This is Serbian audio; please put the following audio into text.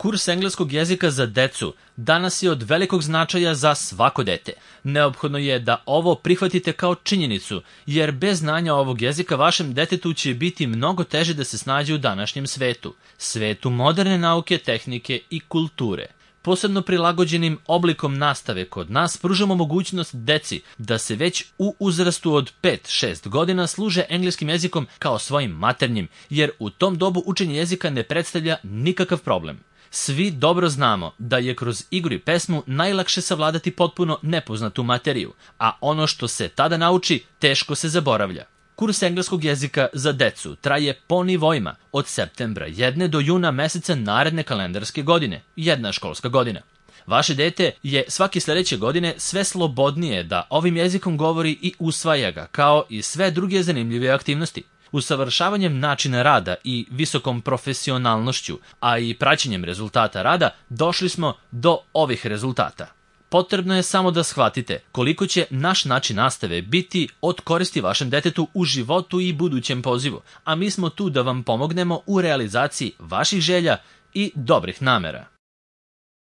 Kurs engleskog jezika za decu danas je od velikog značaja za svako dete. Neophodno je da ovo prihvatite kao činjenicu, jer bez znanja ovog jezika vašem detetu će biti mnogo teže da se snađe u današnjem svetu. Svetu moderne nauke, tehnike i kulture. Posebno prilagođenim oblikom nastave kod nas pružamo mogućnost deci da se već u uzrastu od 5-6 godina služe engleskim jezikom kao svojim maternjim, jer u tom dobu učenje jezika ne predstavlja nikakav problem. Svi dobro znamo da je kroz igru i pesmu najlakše savladati potpuno nepoznatu materiju, a ono što se tada nauči teško se zaboravlja. Kurs engleskog jezika za decu traje po nivoima od septembra jedne do juna meseca naredne kalendarske godine, jedna školska godina. Vaše dete je svake sljedeće godine sve slobodnije da ovim jezikom govori i usvaja ga, kao i sve druge zanimljive aktivnosti. Usavršavanjem načina rada i visokom profesionalnošću, a i praćenjem rezultata rada, došli smo do ovih rezultata. Potrebno je samo da shvatite koliko će naš način nastave biti od koristi vašem detetu u životu i budućem pozivu, a mi smo tu da vam pomognemo u realizaciji vaših želja i dobrih namera.